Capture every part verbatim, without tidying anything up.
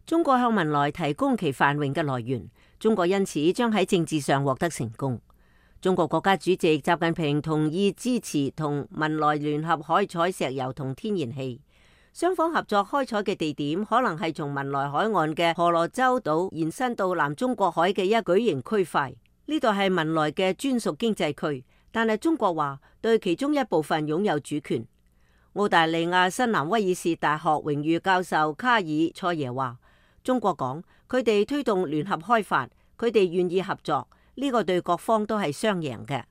中國向文萊提供其繁榮嘅來源，中國因此將喺政治上獲得成功。中國國家主席習近平同意支持同文萊聯合開採石油同天然氣，雙方合作開採嘅地點可能係從文萊海岸嘅婆羅洲島延伸到南中國海嘅一巨型區塊。呢度係文萊嘅專屬經濟區，但係中國話對其中一部分擁有主權。澳大利亞新南威爾士大學榮譽教授卡爾塞耶話，中國講佢哋推動聯合開發，佢哋願意合作，呢個對各方都係雙贏嘅。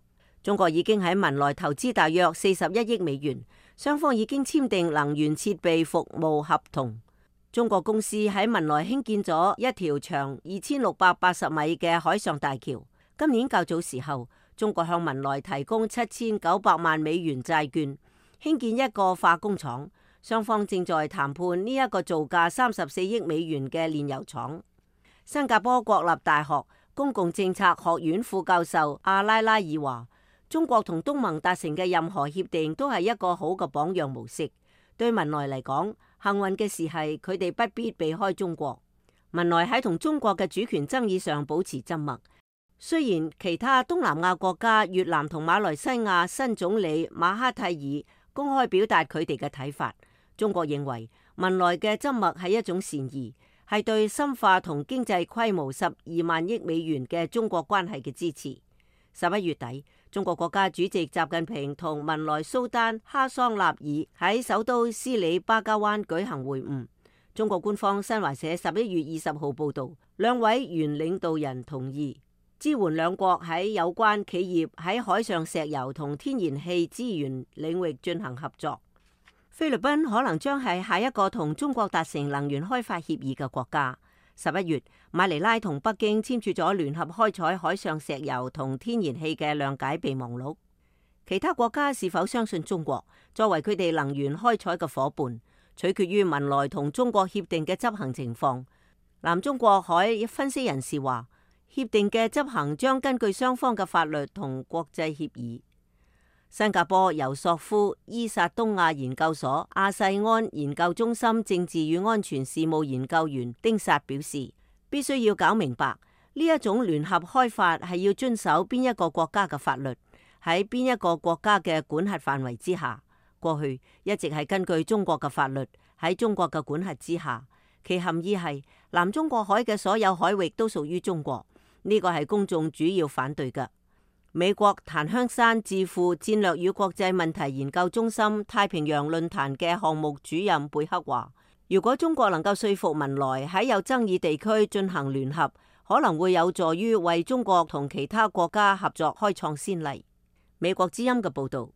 中國已經喺文萊投資大約四十一億美元，雙方已經簽訂能源設備服務合同。中國公司喺文萊興建咗一條長二千六百八十米嘅海上大橋。今年較早時候，中國向文萊提供七千九百萬美元債券，興建一個化工廠。雙方正在談判呢一個造價三十四億美元嘅煉油廠。新加坡國立大學公共政策學院副教授阿拉拉爾話，中國同東盟達成嘅任何協定都係一個好嘅榜樣模式。對文萊嚟講，幸運嘅事係佢哋不必避開中國。文萊喺同中國嘅主權爭議上保持緘默。雖然其他東南亞國家越南同馬來西亞新總理馬哈蒂爾公開表達佢哋嘅睇法，中國認為文萊嘅緘默係一種善意，係對深化同經濟規模十二萬億美元嘅中國關係嘅支持。十一月底，中國國家主席習近平同文萊蘇丹哈桑納爾喺首都斯里巴加灣舉行會晤。中國官方新華社十一月二十號報道，兩位原領導人同意支援兩國喺有關企業喺海上石油同天然氣資源領域進行合作。菲律賓可能將係下一個同中國達成能源開發協議嘅國家。十一月，馬尼拉同北京簽署咗聯合開採海上石油同天然氣嘅諒解備忘錄。其他國家是否相信中國作為佢哋能源開採嘅夥伴，取決於文萊同中國協定嘅執行情況。南中國海分析人士話，協定嘅執行將根據雙方嘅法律同國際協議。新加坡尤索夫伊薩東亞研究所亞細安研究中心政治與安全事務研究員丁薩表示，必須要搞明白呢一種聯合開發係要遵守邊一個國家嘅法律，喺邊一個國家嘅管轄範圍之下。過去一直係根據中國嘅法律喺中國嘅管轄之下，其含義係南中國海嘅所有海域都屬於中國。呢個係公眾主要反對嘅。美國檀香山智庫戰略與國際問題研究中心太平洋論壇嘅項目主任貝克話，如果中國能夠說服文萊喺有爭議地區進行聯合，可能會有助於為中國同其他國家合作開創先例。美國之音嘅報道。